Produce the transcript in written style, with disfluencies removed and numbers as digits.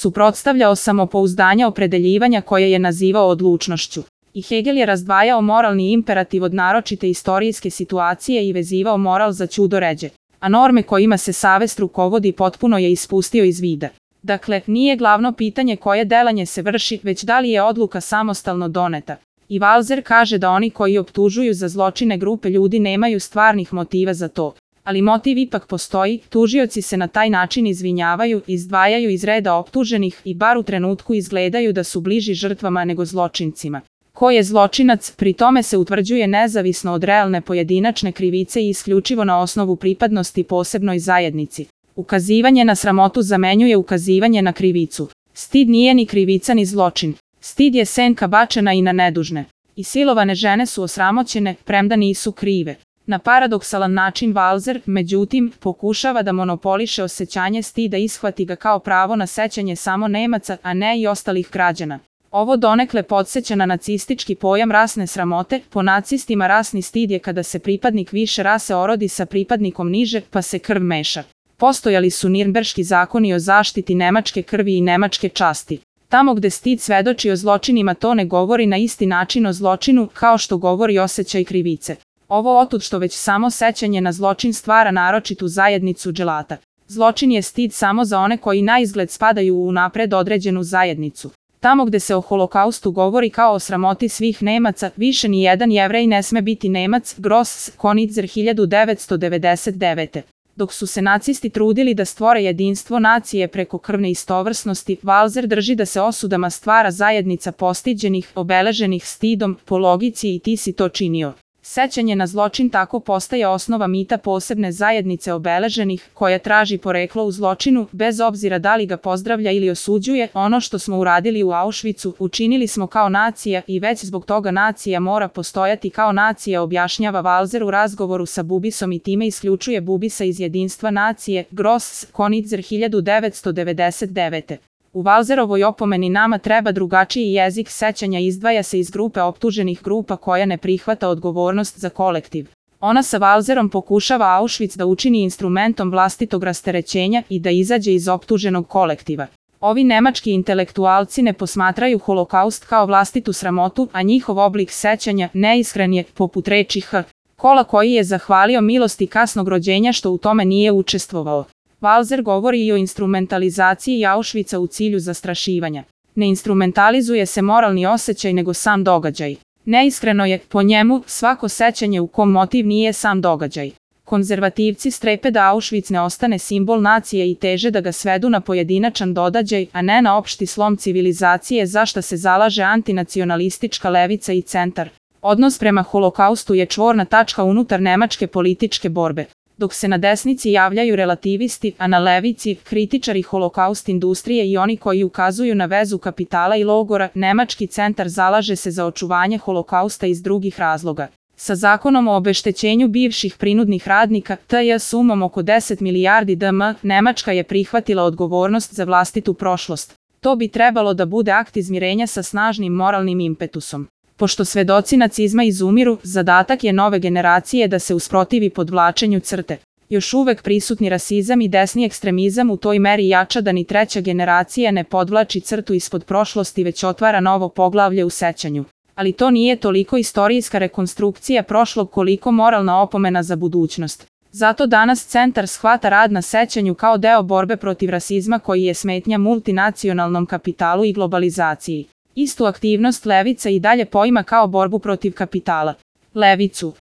suprotstavljao samopouzdanja opredeljivanja koje je nazivao odlučnošću. I Hegel je razdvajao moralni imperativ od naročite istorijske situacije i vezivao moral za ćudoređe, a norme kojima se savest rukovodi potpuno je ispustio iz vida. Dakle, nije glavno pitanje koje delanje se vrši, već da li je odluka samostalno doneta. I Walser kaže da oni koji optužuju za zločine grupe ljudi nemaju stvarnih motiva za to. Ali motiv ipak postoji, tužioci se na taj način izvinjavaju, izdvajaju iz reda optuženih i bar u trenutku izgledaju da su bliži žrtvama nego zločincima. Ko je zločinac, pri tome se utvrđuje nezavisno od realne pojedinačne krivice i isključivo na osnovu pripadnosti posebnoj zajednici. Ukazivanje na sramotu zamenjuje ukazivanje na krivicu. Stid nije ni krivica ni zločin. Stid je senka bačena i na nedužne. I silovane žene su osramoćene, premda nisu krive. Na paradoksalan način Walser, međutim, pokušava da monopoliše osjećanje stida i ishvati ga kao pravo na sećanje samo Nemaca, a ne i ostalih građana. Ovo donekle podsjeća na nacistički pojam rasne sramote. Po nacistima rasni stid je kada se pripadnik više rase orodi sa pripadnikom niže, pa se krv meša. Postojali su Nirnberški zakoni o zaštiti nemačke krvi i nemačke časti. Tamo gde stid svedoči o zločinima to ne govori na isti način o zločinu kao što govori osjećaj krivice. Ovo otud što već samo sećanje na zločin stvara naročitu zajednicu dželata. Zločin je stid samo za one koji na izgled spadaju u unapred određenu zajednicu. Tamo gde se o holokaustu govori kao o sramoti svih Nemaca, više ni jedan Jevrej ne sme biti Nemac, Gross, Konitzer 1999. Dok su se nacisti trudili da stvore jedinstvo nacije preko krvne istovrsnosti, Walser drži da se osudama stvara zajednica postiđenih, obeleženih stidom, po logici i ti si to činio. Sećanje na zločin tako postaje osnova mita posebne zajednice obeleženih, koja traži poreklo u zločinu, bez obzira da li ga pozdravlja ili osuđuje. Ono što smo uradili u Auschwitzu, učinili smo kao nacija i već zbog toga nacija mora postojati kao nacija, objašnjava Walser u razgovoru sa Bubisom i time isključuje Bubisa iz jedinstva nacije, Gross, Konitzer 1999. U Walserovoj opomeni nama treba drugačiji jezik sećanja izdvaja se iz grupe optuženih grupa koja ne prihvata odgovornost za kolektiv. Ona sa Walserom pokušava Auschwitz da učini instrumentom vlastitog rasterećenja i da izađe iz optuženog kolektiva. Ovi nemački intelektualci ne posmatraju holokaust kao vlastitu sramotu, a njihov oblik sećanja neiskren je, poput reči H. Kola koji je zahvalio milosti kasnog rođenja što u tome nije učestvovao. Walser govori i o instrumentalizaciji Auschwitza u cilju zastrašivanja. Ne instrumentalizuje se moralni osjećaj nego sam događaj. Neiskreno je, po njemu, svako sećanje u kom motiv nije sam događaj. Konzervativci strepe da Auschwitz ne ostane simbol nacije i teže da ga svedu na pojedinačan događaj, a ne na opšti slom civilizacije za šta se zalaže antinacionalistička levica i centar. Odnos prema holokaustu je čvorna tačka unutar nemačke političke borbe. Dok se na desnici javljaju relativisti, a na levici kritičari holokaust industrije i oni koji ukazuju na vezu kapitala i logora, nemački centar zalaže se za očuvanje holokausta iz drugih razloga. Sa zakonom o obeštećenju bivših prinudnih radnika, TJ sumom oko 10 milijardi DM, Nemačka je prihvatila odgovornost za vlastitu prošlost. To bi trebalo da bude akt izmirenja sa snažnim moralnim impetusom. Pošto svedoci nacizma izumiru, zadatak je nove generacije da se usprotivi podvlačenju crte. Još uvek prisutni rasizam i desni ekstremizam u toj meri jača da ni treća generacija ne podvlači crtu ispod prošlosti već otvara novo poglavlje u sećanju. Ali to nije toliko istorijska rekonstrukcija prošlog koliko moralna opomena za budućnost. Zato danas centar shvata rad na sećanju kao deo borbe protiv rasizma koji je smetnja multinacionalnom kapitalu i globalizaciji. Istu aktivnost levica i dalje poima kao borbu protiv kapitala. Levicu